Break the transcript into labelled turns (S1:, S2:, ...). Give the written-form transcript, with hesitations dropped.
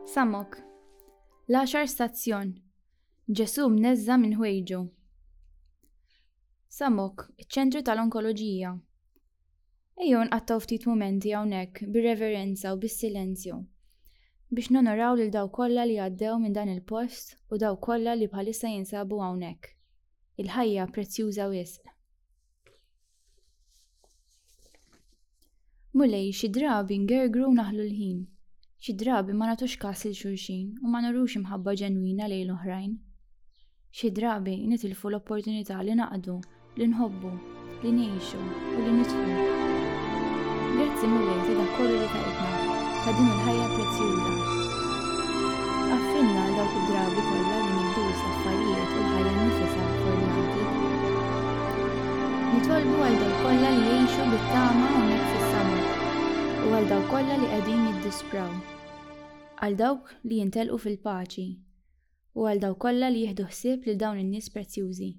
S1: Samok. L-għaxar stazzjon. Ġesù mneżża' minn ħwejġu. Samok, iċ-ċentru tal-onkoloġija. Ejjew nqattgħu ftit mumenti hawnhekk bir-reverenza u bis-silenzju biex nonoraw lil dawk kollha li għaddew minn dan il-post u dawk kollha li bħalissa jinsabu hawnhekk. Il-ħajja prezzjuża wisq. Mulej, xi drabi ngergru u naħlu l-ħin. Xi drabi ma nagħtux kas lil xulxin u ma nurux imħabba ġenwina lejn l-oħrajn. Xi drabi nitilfu l-opportunità li naqdu, li nħobbu, li ngħixu u li nidħku. Grazzi Mulej ta' dak kollu li tajtna, ta' din il-ħajja prezzjuża. Għaffrilna għal dawk id-drabi kollha li nieħdu wisq affarijiet u l-ħajja nnifisha for granted. Nitolbu għal dawk kollha li jgħixu bit-tama hawnhekk fis-summer u għal dawk kollha li qegħdin jiddispraw. Għal dawk li jintelqu fil-paċi u għal dawk kollha li jieħdu ħsieb lil dawn in-nies prezzjużi.